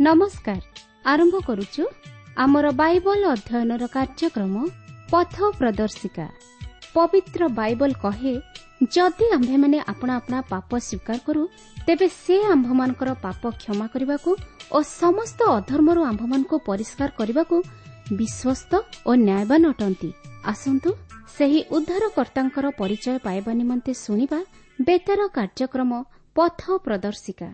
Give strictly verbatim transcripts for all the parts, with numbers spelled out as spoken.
ନମସ୍କାର। ଆରମ୍ଭ କରୁଛୁ ଆମର ବାଇବଲ ଅଧ୍ୟୟନର କାର୍ଯ୍ୟକ୍ରମ ପଥ ପ୍ରଦର୍ଶିକା। ପବିତ୍ର ବାଇବଲ କହେ, ଯଦି ଆମ୍ଭେମାନେ ଆପଣା ଆପଣା ପାପ ସ୍ୱୀକାର କରୁ, ତେବେ ସେ ଆମ୍ଭମାନଙ୍କର ପାପ କ୍ଷମା କରିବାକୁ ଓ ସମସ୍ତ ଅଧର୍ମରୁ ଆମ୍ଭମାନଙ୍କୁ ପରିଷ୍କାର କରିବାକୁ ବିଶ୍ୱସ୍ତ ଓ ନ୍ୟାୟବାନ ଅଟନ୍ତି। ଆସନ୍ତୁ ସେହି ଉଦ୍ଧାରକର୍ତ୍ତାଙ୍କର ପରିଚୟ ପାଇବା ନିମନ୍ତେ ଶୁଣିବା ବେତାର କାର୍ଯ୍ୟକ୍ରମ ପଥ ପ୍ରଦର୍ଶିକା।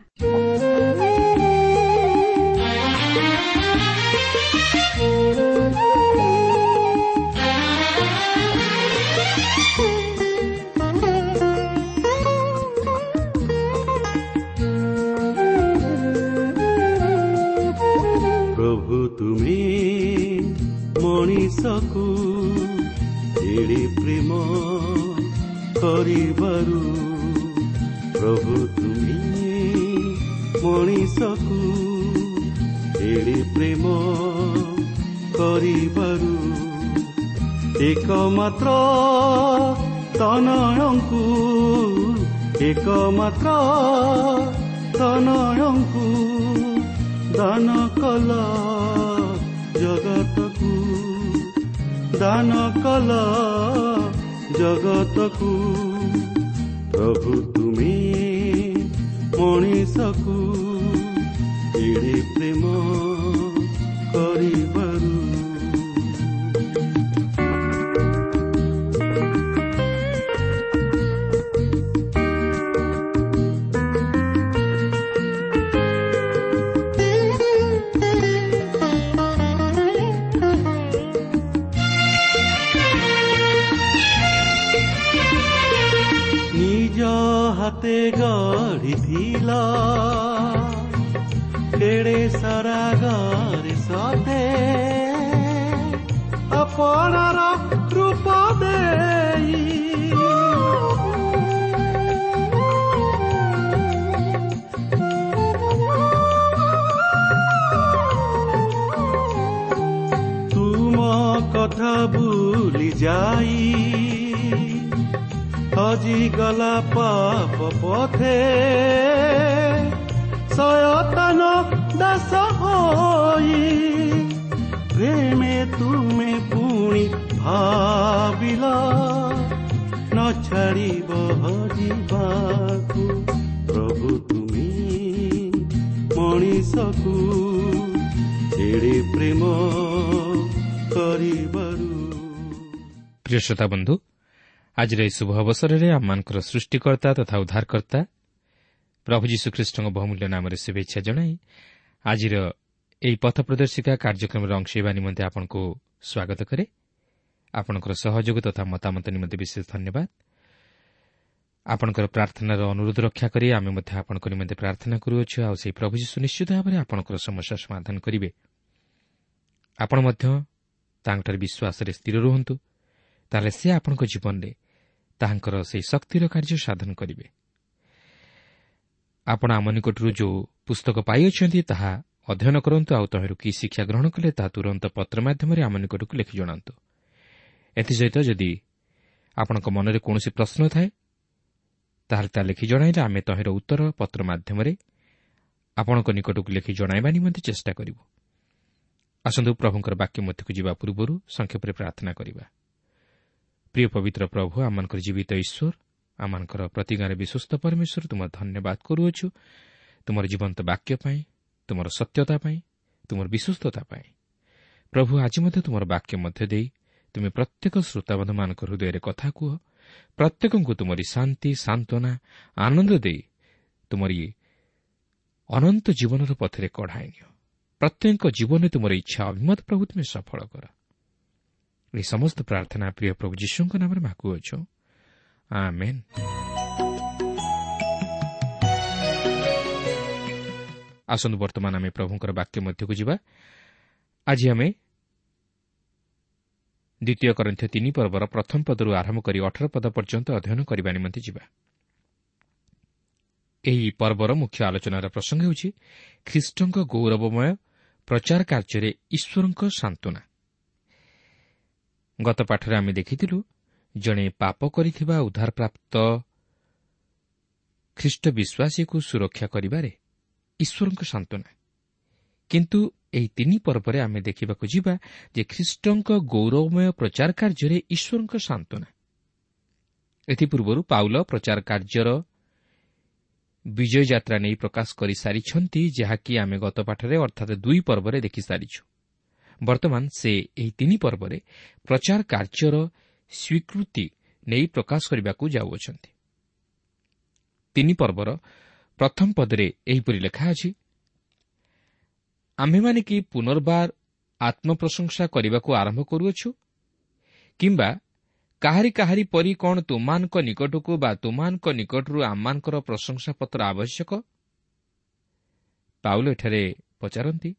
ପ୍ରଭୁ ତୁମେ ମଣିଷକୁ ଏଡ଼େ ପ୍ରେମ କରିବାରୁ, ପ୍ରଭୁ ତୁମେ ମଣିଷକୁ ଏଡ଼େ ପ୍ରେମ କରିବାରୁ, ଏକମାତ୍ର ତନୟଙ୍କୁ, ଏକମାତ୍ର ତନୟଙ୍କୁ ଦାନ କଲ ଜଗତକୁ, ଦାନ କଲ ଜଗତକୁ। ପ୍ରଭୁ ତୁମେ ମଣିଷକୁ ଏଡ଼େ ପ୍ରେମ କରିବାରୁ। ନିଜ ହାତେ ଗଢ଼ିଥିଲ କେଡ଼େ ସରାଗରେ ସତେ, ଆପଣାର ରୂପ ଦେଇ। ତୁମ କଥା ଭୁଲି ଯାଇ ହଜିଗଲା ପାପ ପଥେ, ଶୟତାନ ଦାସ ହୋଇ। ପ୍ରେମେ ତୁମେ ପୁଣି ଭାବିଲ ନ ଛାଡ଼ିବ ହଜିବାକୁ। ପ୍ରଭୁ ତୁମେ ମଣିଷକୁ ଏଡ଼େ ପ୍ରେମ କରିବାରୁ। ପ୍ରିୟ ଶ୍ରୋତା ବନ୍ଧୁ, ଆଜିର ଏହି ଶୁଭ ଅବସରରେ ଆମମାନଙ୍କର ସୃଷ୍ଟିକର୍ତ୍ତା ତଥା ଉଦ୍ଧାରକର୍ତ୍ତା ପ୍ରଭୁ ଯୀଶୁଖ୍ରୀଷ୍ଟଙ୍କ ବହୁମୂଲ୍ୟ ନାମରେ ଶୁଭେଚ୍ଛା ଜଣାଇ ଆଜିର ଏହି ପଥ ପ୍ରଦର୍ଶିକା କାର୍ଯ୍ୟକ୍ରମରେ ଅଂଶ ହେବା ନିମନ୍ତେ ଆପଣଙ୍କୁ ସ୍ୱାଗତ କରେ। ଆପଣଙ୍କର ସହଯୋଗ ତଥା ମତାମତ ନିମନ୍ତେ ବିଶେଷ ଧନ୍ୟବାଦ। ଆପଣଙ୍କର ପ୍ରାର୍ଥନାର ଅନୁରୋଧ ରକ୍ଷା କରି ଆମେ ମଧ୍ୟ ଆପଣଙ୍କ ନିମନ୍ତେ ପ୍ରାର୍ଥନା କରୁଅଛୁ, ଆଉ ସେହି ପ୍ରଭୁ ଯୀଶୁ ନିଶ୍ଚିତ ଭାବରେ ଆପଣଙ୍କର ସମସ୍ୟା ସମାଧାନ କରିବେ। ଆପଣ ମଧ୍ୟ ତାଙ୍କଠାରେ ବିଶ୍ୱାସରେ ସ୍ଥିର ରୁହନ୍ତୁ, ତାହେଲେ ସେ ଆପଣଙ୍କ ଜୀବନରେ ତାହାଙ୍କର ସେହି ଶକ୍ତିର କାର୍ଯ୍ୟ ସାଧନ କରିବେ। ଆପଣ ଆମ ନିକଟରୁ ଯେଉଁ ପୁସ୍ତକ ପାଇଅଛନ୍ତି ତାହା ଅଧ୍ୟୟନ କରନ୍ତୁ, ଆଉ ତହିଁରୁ କି ଶିକ୍ଷା ଗ୍ରହଣ କଲେ ତାହା ତୁରନ୍ତ ପତ୍ର ମାଧ୍ୟମରେ ଆମ ନିକଟକୁ ଲେଖି ଜଣାନ୍ତୁ। ଏଥିସହିତ ଯଦି ଆପଣଙ୍କ ମନରେ କୌଣସି ପ୍ରଶ୍ନ ଥାଏ, ତାହେଲେ ତାହା ଲେଖି ଜଣାଇଲେ ଆମେ ତହିଁର ଉତ୍ତର ପତ୍ର ମାଧ୍ୟମରେ ଆପଣଙ୍କ ନିକଟକୁ ଲେଖି ଜଣାଇବା ନିମନ୍ତେ ଚେଷ୍ଟା କରିବୁ। ଆସନ୍ତୁ ପ୍ରଭୁଙ୍କର ବାକ୍ୟ ମଧ୍ୟକୁ ଯିବା ପୂର୍ବରୁ ସଂକ୍ଷେପରେ ପ୍ରାର୍ଥନା କରିବା। ପ୍ରିୟ ପବିତ୍ର ପ୍ରଭୁ, ଆମମାନଙ୍କର ଜୀବିତ ଈଶ୍ୱର, ଆମମାନଙ୍କର ପ୍ରତିଜ୍ଞାରେ ବିଶ୍ୱସ୍ତ ପରମେଶ୍ୱର, ତୁମର ଧନ୍ୟବାଦ କରୁଅଛୁ ତୁମର ଜୀବନ୍ତ ବାକ୍ୟ ପାଇଁ, ତୁମର ସତ୍ୟତା ପାଇଁ, ତୁମର ବିଶ୍ୱସ୍ତତା ପାଇଁ। ପ୍ରଭୁ, ଆଜି ମଧ୍ୟ ତୁମର ବାକ୍ୟ ମଧ୍ୟ ଦେଇ ତୁମେ ପ୍ରତ୍ୟେକ ଶ୍ରୋତାବନ୍ଧୁମାନଙ୍କ ହୃଦୟରେ କଥା କୁହ। ପ୍ରତ୍ୟେକଙ୍କୁ ତୁମରି ଶାନ୍ତି, ସାନ୍ତ୍ୱନା, ଆନନ୍ଦ ଦେଇ ତୁମରି ଅନନ୍ତ ଜୀବନର ପଥରେ କଢ଼ାଇ ନିଅ। ପ୍ରତ୍ୟେକଙ୍କ ଜୀବନରେ ତୁମର ଇଚ୍ଛା ଅଭିମତ ପ୍ରଭୁ ତୁମେ ସଫଳ କର। ଏହି ସମସ୍ତ ପ୍ରାର୍ଥନା ପ୍ରିୟ ପ୍ରଭୁ ଯୀଶୁଙ୍କ ନାମରେ ମାଗୁଅଛୁ, ଆମେନ୍। ଆସନ୍ତୁ ବର୍ତ୍ତମାନ ଆମେ ପ୍ରଭୁଙ୍କର ବାକ୍ୟ ମଧ୍ୟକୁ ଯିବା। ଆଜି ଆମେ ଦ୍ୱିତୀୟ କରିନ୍ଥୀୟ ତିନି ପର୍ବର ପ୍ରଥମ ପଦରୁ ଆରମ୍ଭ କରି ଅଠର ପଦ ପର୍ଯ୍ୟନ୍ତ ଅଧ୍ୟୟନ କରିବା ନିମନ୍ତେ ଯିବା। ଏହି ପର୍ବର ମୁଖ୍ୟ ଆଲୋଚନାର ପ୍ରସଙ୍ଗ ହେଉଛି ଖ୍ରୀଷ୍ଟଙ୍କ ଗୌରବମୟ ପ୍ରଚାର କାର୍ଯ୍ୟରେ ଈଶ୍ୱରଙ୍କ ସାନ୍ତ୍ୱନା। ଗତ ପାଠରେ ଆମେ ଦେଖିଥିଲୁ ଜଣେ ପାପ କରିଥିବା ଉଦ୍ଧାରପ୍ରାପ୍ତ ଖ୍ରୀଷ୍ଟ ବିଶ୍ୱାସୀକୁ ସୁରକ୍ଷା କରିବାରେ ଈଶ୍ୱରଙ୍କ ସାନ୍ତ୍ୱନା କିନ୍ତୁ ଏହି ତିନି ପର୍ବରେ ଆମେ ଦେଖିବାକୁ ଯିବା ଯେ ଖ୍ରୀଷ୍ଟଙ୍କ ଗୌରବମୟ ପ୍ରଚାର କାର୍ଯ୍ୟରେ ଈଶ୍ୱରଙ୍କ ସାନ୍ତ୍ୱନା। ଏଥିପୂର୍ବରୁ ପାଉଲ ପ୍ରଚାର କାର୍ଯ୍ୟର ବିଜୟ ଯାତ୍ରା ନେଇ ପ୍ରକାଶ କରିସାରିଛନ୍ତି, ଯାହାକି ଆମେ ଗତ ପାଠରେ ଅର୍ଥାତ୍ ଦୁଇ ପର୍ବରେ ଦେଖିସାରିଛୁ। ବର୍ତ୍ତମାନ ସେ ଏହି ତିନି ପର୍ବରେ ପ୍ରଚାର କାର୍ଯ୍ୟର ସ୍ୱୀକୃତି ନେଇ ପ୍ରକାଶ କରିବାକୁ ଯାଉଅଛନ୍ତି। ତିନି ପର୍ବର ପ୍ରଥମ ପଦରେ ଏହିପରି ଲେଖା ଅଛି, ଆମ୍ଭେମାନେ କି ପୁନର୍ବାର ଆତ୍ମପ୍ରଶଂସା କରିବାକୁ ଆରମ୍ଭ କରୁଅଛୁ? କିମ୍ବା କାହାରି କାହାରି ପରି କ'ଣ ତୁମମାନଙ୍କ ନିକଟକୁ ବା ତୁମମାନଙ୍କ ନିକଟରୁ ଆମମାନଙ୍କର ପ୍ରଶଂସାପତ୍ର ଆବଶ୍ୟକ? ପାଉଲ ଏଠାରେ ପଚାରନ୍ତି,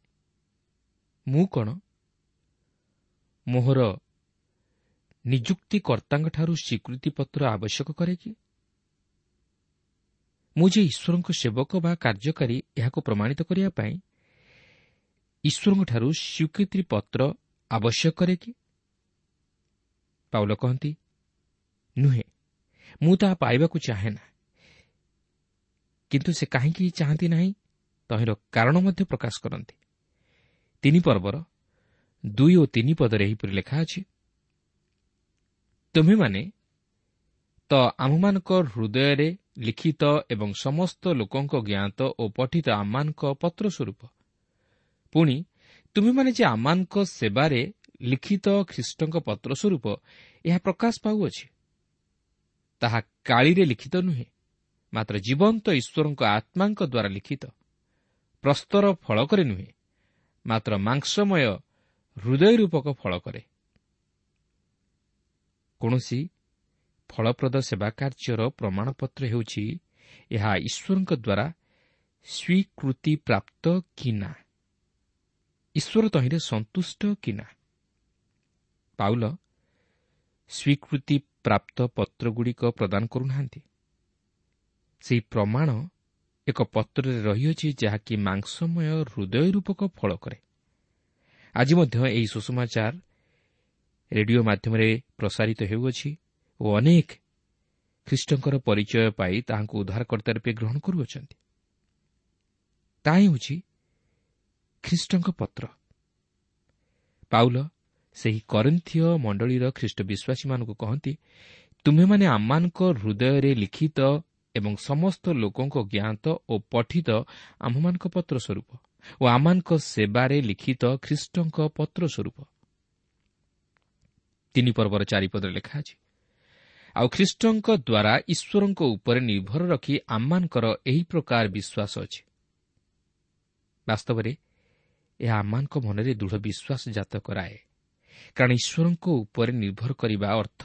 ମୁଁ କ'ଣ ମୋହର ନିଯୁକ୍ତିକର୍ତ୍ତାଙ୍କଠାରୁ ସ୍ୱୀକୃତିପତ୍ର ଆବଶ୍ୟକ କରେ କି? ମୁଁ ଯେ ଈଶ୍ୱରଙ୍କ ସେବକ ବା କାର୍ଯ୍ୟକାରୀ, ଏହାକୁ ପ୍ରମାଣିତ କରିବା ପାଇଁ ଈଶ୍ୱରଙ୍କଠାରୁ ସ୍ୱୀକୃତିପତ୍ର ଆବଶ୍ୟକ କରେ କି? ପାଉଲ କହନ୍ତି, ନୁହେଁ, ମୁଁ ତାହା ପାଇବାକୁ ଚାହେଁ ନା। କିନ୍ତୁ ସେ କାହିଁକି ଚାହାନ୍ତି ନାହିଁ ତହିଁର କାରଣ ମଧ୍ୟ ପ୍ରକାଶ କରନ୍ତି। ତିନି ପର୍ବର ଦୁଇ ଓ ତିନି ପଦରେ ଏହିପରି ଲେଖା ଅଛି, ତୁମ୍ଭେମାନେ ତ ଆମ୍ଭମାନଙ୍କ ହୃଦୟରେ ଲିଖିତ ଏବଂ ସମସ୍ତ ଲୋକଙ୍କ ଜ୍ଞାତ ଓ ପଠିତ ଆମମାନଙ୍କ ପତ୍ର ସ୍ୱରୂପ। ପୁଣି ତୁମ୍ଭେମାନେ ଯେ ଆମମାନଙ୍କ ସେବାରେ ଲିଖିତ ଖ୍ରୀଷ୍ଟଙ୍କ ପତ୍ର ସ୍ୱରୂପ ଏହା ପ୍ରକାଶ ପାଉଅଛି, ତାହା କାଳିରେ ଲିଖିତ ନୁହେଁ, ମାତ୍ର ଜୀବନ୍ତ ଈଶ୍ୱରଙ୍କ ଆତ୍ମାଙ୍କ ଦ୍ୱାରା ଲିଖିତ, ପ୍ରସ୍ତର ଫଳକରେ ନୁହେଁ, ମାତ୍ର ମାଂସମୟ ହୃଦୟ ରୂପକ ଫଳକରେ। କୌଣସି ଫଳପ୍ରଦ ସେବା କାର୍ଯ୍ୟର ପ୍ରମାଣପତ୍ର ହେଉଛି ଏହା ଈଶ୍ୱରଙ୍କ ଦ୍ୱାରା ସ୍ୱୀକୃତିପ୍ରାପ୍ତ କି ନା, ଈଶ୍ୱର ତହିଁରେ ସନ୍ତୁଷ୍ଟ କି ନା। ପାଉଲ ସ୍ୱୀକୃତିପ୍ରାପ୍ତ ପତ୍ରଗୁଡ଼ିକ ପ୍ରଦାନ କରୁନାହାନ୍ତି। ସେହି ପ୍ରମାଣ ଏକ ପତ୍ରରେ ରହିଅଛି, ଯାହାକି ମାଂସମୟ ହୃଦୟ ରୂପକ ଫଳ କରେ। ଆଜି ମଧ୍ୟ ଏହି ସୁସମାଚାର ରେଡିଓ ମାଧ୍ୟମରେ ପ୍ରସାରିତ ହେଉଅଛି ଓ ଅନେକ ଖ୍ରୀଷ୍ଟଙ୍କର ପରିଚୟ ପାଇ ତାହାଙ୍କୁ ଉଦ୍ଧାରକର୍ତ୍ତା ରୂପେ ଗ୍ରହଣ କରୁଅଛନ୍ତି। ତାହା ହେଉଛି ଖ୍ରୀଷ୍ଟଙ୍କ ପତ୍ର। ପାଉଲ ସେହି କରିନ୍ଥୀୟ ମଣ୍ଡଳୀର ଖ୍ରୀଷ୍ଟ ବିଶ୍ୱାସୀମାନଙ୍କୁ କହନ୍ତି, ତୁମ୍ଭେମାନେ ଆମମାନଙ୍କ ହୃଦୟରେ ଲିଖିତ ଏବଂ ସମସ୍ତ ଲୋକଙ୍କ ଜ୍ଞାତ ଓ ପଠିତ ଆମ୍ଭମାନଙ୍କ ପତ୍ର ସ୍ୱରୂପ ଓ ଆମମାନଙ୍କ ସେବାରେ ଲିଖିତ ଖ୍ରୀଷ୍ଟଙ୍କ ପତ୍ର ସ୍ୱରୂପ। ତିନି ପର୍ବର ଚାରିପଦରେ ଲେଖା ଅଛି, ଆଉ ଖ୍ରୀଷ୍ଟଙ୍କ ଦ୍ୱାରା ଈଶ୍ୱରଙ୍କ ଉପରେ ନିର୍ଭର ରଖି ଆମମାନଙ୍କର ଏହି ପ୍ରକାର ବିଶ୍ୱାସ ଅଛି। ବାସ୍ତବରେ ଏହା ଆମମାନଙ୍କ ମନରେ ଦୃଢ଼ ବିଶ୍ୱାସ ଜାତ କରାଏ, କାରଣ ଈଶ୍ୱରଙ୍କ ଉପରେ ନିର୍ଭର କରିବା ଅର୍ଥ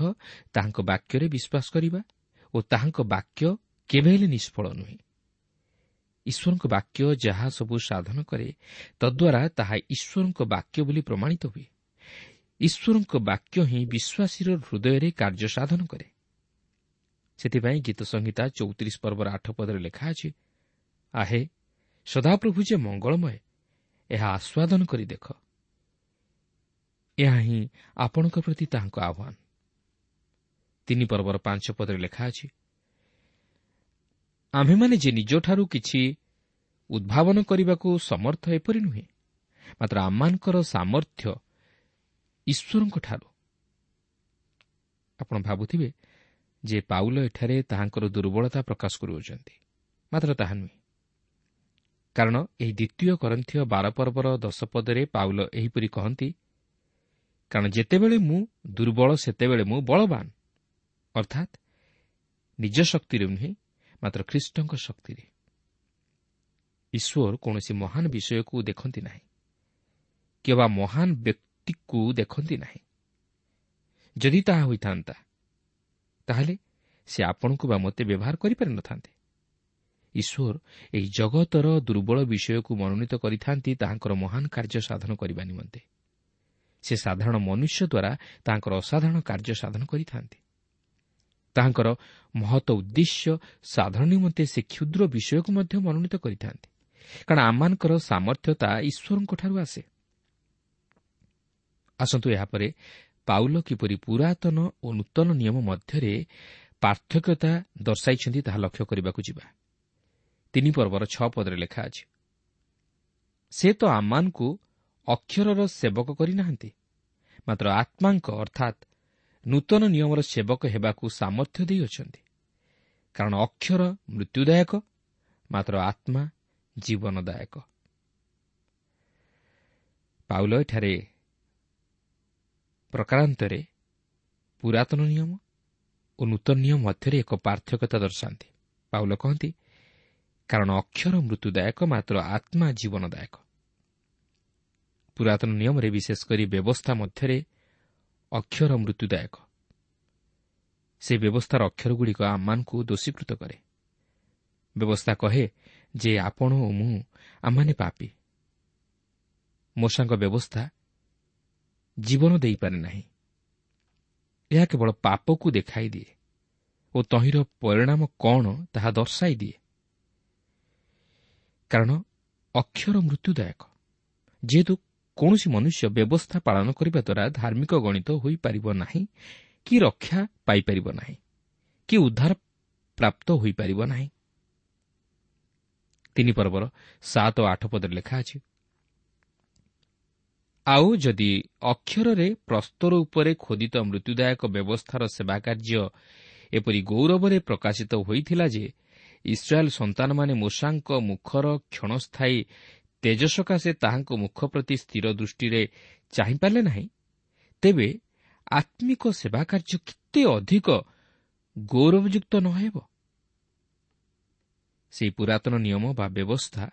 ତାହାଙ୍କ ବାକ୍ୟରେ ବିଶ୍ୱାସ କରିବା ଓ ତାହାଙ୍କ ବାକ୍ୟ କେବେ ହେଲେ ନିଷ୍ଫଳ ନୁହେଁ। ଈଶ୍ୱରଙ୍କ ବାକ୍ୟ ଯାହା ସବୁ ସାଧନ କରେ ତଦ୍ୱାରା ତାହା ଈଶ୍ୱରଙ୍କ ବାକ୍ୟ ବୋଲି ପ୍ରମାଣିତ ହୁଏ। ଈଶ୍ୱରଙ୍କ ବାକ୍ୟ ହିଁ ବିଶ୍ୱାସୀର ହୃଦୟରେ କାର୍ଯ୍ୟ ସାଧନ କରେ। ସେଥିପାଇଁ ଗୀତ ସଂହିତା ଚଉତିରିଶ ପର୍ବର ଆଠ ପଦରେ ଲେଖା ଅଛି, ଆହେ ସଦାପ୍ରଭୁ ଯେ ମଙ୍ଗଳମୟ, ଏହା ଆସ୍ୱାଦନ କରି ଦେଖ। ଏହା ହିଁ ଆପଣଙ୍କ ପ୍ରତି ତାହାଙ୍କ ଆହ୍ୱାନ। ତିନି ପର୍ବର ପାଞ୍ଚ ପଦରେ ଲେଖା ଅଛି, ଆମ୍ଭେମାନେ ଯେ ନିଜଠାରୁ କିଛି ଉଦ୍ଭାବନ କରିବାକୁ ସମର୍ଥ ଏପରି ନୁହେଁ, ମାତ୍ର ଆମମାନଙ୍କର ସାମର୍ଥ୍ୟ ଈଶ୍ୱରଙ୍କଠାରୁ। ଆପଣ ଭାବୁଥିବେ ଯେ ପାଉଲ ଏଠାରେ ତାହାଙ୍କର ଦୁର୍ବଳତା ପ୍ରକାଶ କରୁଅଛନ୍ତି, ମାତ୍ର ତାହା ନୁହେଁ। କାରଣ ଏହି ଦ୍ୱିତୀୟ କରିନ୍ଥୀୟ ବାର ପର୍ବର ଦଶ ପଦରେ ପାଉଲ ଏହିପରି କହନ୍ତି, କାରଣ ଯେତେବେଳେ ମୁଁ ଦୁର୍ବଳ ସେତେବେଳେ ମୁଁ ବଳବାନ, ଅର୍ଥାତ୍ ନିଜ ଶକ୍ତିରେ ନୁହେଁ, ମାତ୍ର ଖ୍ରୀଷ୍ଟଙ୍କ ଶକ୍ତିରେ। ଈଶ୍ୱର କୌଣସି ମହାନ ବିଷୟକୁ ଦେଖନ୍ତି ନାହିଁ କିମ୍ବା ମହାନ ବ୍ୟକ୍ତିକୁ ଦେଖନ୍ତି ନାହିଁ। ଯଦି ତାହା ହୋଇଥାନ୍ତା ତାହେଲେ ସେ ଆପଣଙ୍କୁ ବା ମୋତେ ବ୍ୟବହାର କରିପାରିନଥାନ୍ତେ। ଈଶ୍ୱର ଏହି ଜଗତର ଦୁର୍ବଳ ବିଷୟକୁ ମନୋନୀତ କରିଥାନ୍ତି ତାହାଙ୍କର ମହାନ କାର୍ଯ୍ୟ ସାଧନ କରିବା ନିମନ୍ତେ। ସେ ସାଧାରଣ ମନୁଷ୍ୟ ଦ୍ୱାରା ତାହାଙ୍କର ଅସାଧାରଣ କାର୍ଯ୍ୟ ସାଧନ କରିଥାନ୍ତି। ତାହାଙ୍କର ମହତ ଉଦ୍ଦେଶ୍ୟ ସାଧନ ନିମନ୍ତେ ସେ କ୍ଷୁଦ୍ର ବିଷୟକୁ ମଧ୍ୟ ମନୋନୀତ କରିଥାନ୍ତି, କାରଣ ଆମମାନଙ୍କର ସାମର୍ଥ୍ୟତା ଈଶ୍ୱରଙ୍କଠାରୁ ଆସେ। ଆସନ୍ତୁ ଏହାପରେ ପାଉଲ କିପରି ପୁରାତନ ଓ ନୂତନ ନିୟମ ମଧ୍ୟରେ ପାର୍ଥକ୍ୟତା ଦର୍ଶାଇଛନ୍ତି ତାହା ଲକ୍ଷ୍ୟ କରିବାକୁ ଯିବା। ତିନି ପର୍ବର ଛଅ ପଦରେ ଲେଖା ଅଛି, ସେ ତ ଆମମାନଙ୍କୁ ଅକ୍ଷରର ସେବକ କରିନାହାନ୍ତି, ମାତ୍ର ଆତ୍ମାଙ୍କ ଅର୍ଥାତ୍ ନୂତନ ନିୟମର ସେବକ ହେବାକୁ ସାମର୍ଥ୍ୟ ଦେଇଅଛନ୍ତି। କାରଣ ଅକ୍ଷର ମୃତ୍ୟୁଦାୟକ, ମାତ୍ର ଆତ୍ମା ଜୀବନଦାୟକ। ପାଉଲ ଏଠାରେ ପ୍ରକାରାନ୍ତରେ ପୁରାତନ ନିୟମ ଓ ନୂତନ ନିୟମ ମଧ୍ୟରେ ଏକ ପାର୍ଥକ୍ୟତା ଦର୍ଶାନ୍ତି। ପାଉଲ କହନ୍ତି, କାରଣ ଅକ୍ଷର ମୃତ୍ୟୁଦାୟକ, ମାତ୍ର ଆତ୍ମା ଜୀବନଦାୟକ। ପୁରାତନ ନିୟମରେ ବିଶେଷ କରି ବ୍ୟବସ୍ଥା ମଧ୍ୟରେ ଅକ୍ଷର ମୃତ୍ୟୁଦାୟକ। ସେ ବ୍ୟବସ୍ଥାର ଅକ୍ଷରଗୁଡ଼ିକ ଆମମାନଙ୍କୁ ଦୋଷୀକୃତ କରେ। ବ୍ୟବସ୍ଥା କହେ ଯେ ଆପଣ ଓ ମୁଁ ଆମମାନେ ପାପୀ। ମୋଶାଙ୍କ ବ୍ୟବସ୍ଥା ଜୀବନ ଦେଇପାରେ ନାହିଁ। ଏହା କେବଳ ପାପକୁ ଦେଖାଇ ଦିଏ ଓ ତହିଁର ପରିଣାମ କ'ଣ ତାହା ଦର୍ଶାଇ ଦିଏ। କାରଣ ଅକ୍ଷର ମୃତ୍ୟୁଦାୟକ। ଯେହେତୁ କୌଣସି ମନୁଷ୍ୟ ବ୍ୟବସ୍ଥା ପାଳନ କରିବା ଦ୍ୱାରା ଧାର୍ମିକ ଗଣିତ ହୋଇପାରିବ ନାହିଁ କି ରକ୍ଷା ପାଇପାରିବ ନାହିଁ କି ଉଦ୍ଧାର ପ୍ରାପ୍ତ ହୋଇପାରିବ ନାହିଁ। ତିନି ପର୍ବର ସାତ ଓ ଆଠ ପଦରେ ଲେଖା ଅଛି, ଆଉ ଯଦି ଅକ୍ଷରରେ ପ୍ରସ୍ତର ଉପରେ ଖୋଦିତ ମୃତ୍ୟୁଦାୟକ ବ୍ୟବସ୍ଥାର ସେବାକାର୍ଯ୍ୟ ଏପରି ଗୌରବରେ ପ୍ରକାଶିତ ହୋଇଥିଲା ଯେ ଇସ୍ରାଏଲ୍ ସନ୍ତାନମାନେ ମୋଶାଙ୍କ ମୁଖର କ୍ଷଣସ୍ଥାୟୀ ତେଜ ସକାଶେ ତାହାଙ୍କ ମୁଖ ପ୍ରତି ସ୍ଥିର ଦୃଷ୍ଟିରେ ଚାହିଁପାରିଲେ ନାହିଁ, ତେବେ ଆତ୍ମିକ ସେବାକାର୍ଯ୍ୟ କେତେ ଅଧିକ ଗୌରବଯୁକ୍ତ ନ ହେବ। ସେହି ପୁରାତନ ନିୟମ ବା ବ୍ୟବସ୍ଥା